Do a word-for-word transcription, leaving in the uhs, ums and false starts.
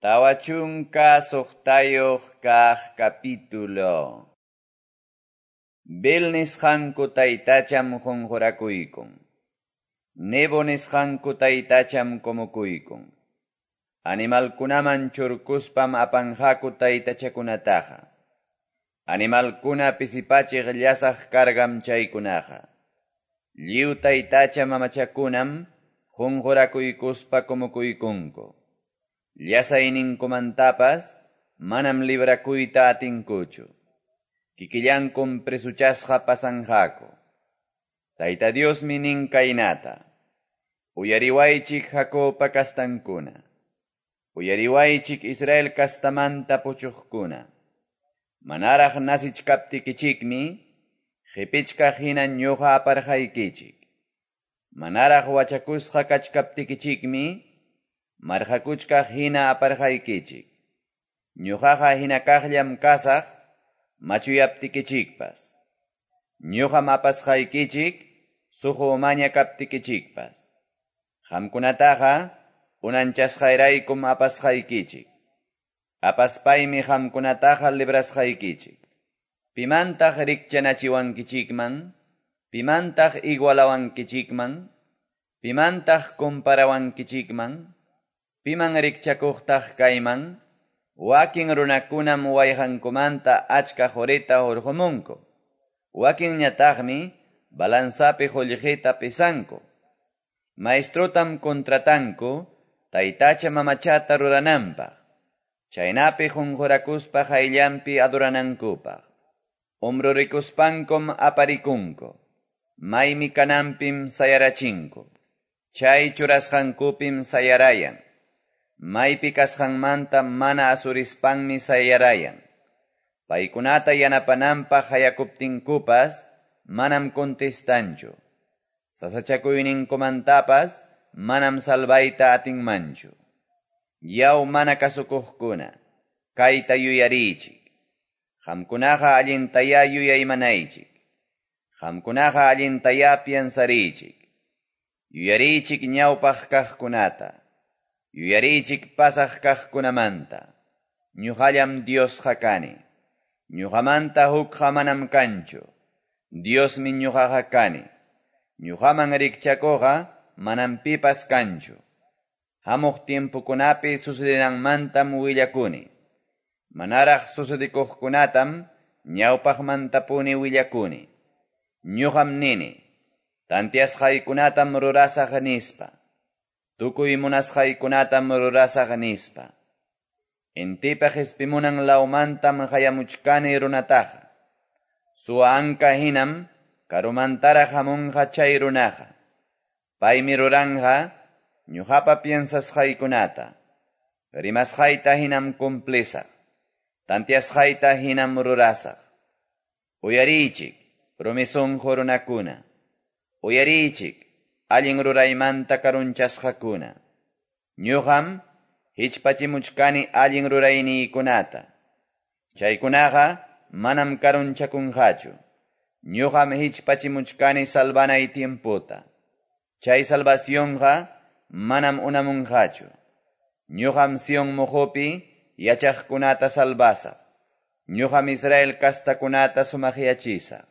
Tawa chunka suqtayuq kaq capítulo. Bel nisqanku taytacham qunqurakuykun. Nebo nisqanku taytacham kumukuykun. Animalkunaman churkuspam apanqaku taytachakunataqa. Animalkuna pisipachiq llasaq cargam chaykunaqa. Lliw taytacha mamachakunam qunqurakuykuspa kumukuykunku. Llasayninkumantapas manam librakuyta atinkuchu. Kikillankum presuchasqa pasanqaku. Tayta Diosmi nin kaynata. Uyariwaychik Jacobpa kastankuna. Uyariwaychik Israel kastamanta puchuqkuna. Manaraq nasichkaptikichikmi, qipichkaq hina ñuqa aparqaykichik. Manaraq wachakusqa kachkaptikichikmi, marqakuchkaq hina aparqaykichik. Ñuqaqa hina kaqllam kasaq, machuyaptikichikpas. Ñuqam apasqaykichik, suqu umaña kaptikichikpas. Qamkunataqa unanchasqayraykum apasqaykichik. Apaspaymi qamkunataqa librasqaykichik. Pimantaq rikchanachiwankichikman, pimantaq igualawankichikman, pimantaq comparawankichikman, piman rikchakuqtaq kayman, wakin runakunam wayqankumanta achka qurita hurqumunku. Wakinñataqmi balanzapi qullqita pisanku. Maestrotam contratanku taytacha mamachata rurananpaq. Chaynapi qunqurakuspa qayllanpi adoranankupaq. Umrurikuspankum aparikunku. Maymi kananpim sayarachinku. Chay churasqankupim sayarayan. Maypi kasqanmanta mana asurispanmi sayarayan. Paykunata yanapananpaq hayakuptinkupas manam contestanchu. Sasachakuyninkumantapas manam salvayta atinmanchu. Yaw mana kasukuqkuna, kayta yuyariychik. Qamkunaqa allintayá yuyaymanaychik. Qamkunaqa allintayá piensariychik. Yuyariychik ñawpaq kaqkunata. Yuyariychik pasaq kaqkunamanta. Ñuqallam Diosqa kani. Ñuqamanta hukqa manam kanchu. Diosmi ñuqaqa kani. Ñuqaman rikchakuqa manam pipas kanchu. Hamuq tiempokunapi sucedenanmantam willakuni. Manaraq sucedikuqkunatam ñawpaqmantapuni willakuni. Ñuqam nini, tantiasqaykunatam rurasaq nispa. Tukuy munasqaykunatam rurasaq nispa. Intipa qispimunan lawmantam hayamuchkani runataqa. Suwa anka hinam karumantaraq hamunqa chay runaqa. Paymi ruranqa ñuqapa piensasqaykunata. Rimasqayta hinam cumplisaq. Tantiasqayta hinam rurasaq. Uyariychik, rumi sunqu runakuna. Uyariychik, allin ruraymanta karunchasqakuna. Ñuqam hichpachimuchkani allin rurayniykunata. Chaykunaqa manam karunchakunqachu. Ñuqam hichpachimuchkani salvanay tiempota. Chay salvacionqa manam unamunqachu. Ñuqam Sion muqupi yachaqkunata salvasaq. Ñuqam Israel kastakunata sumaqyachisaq.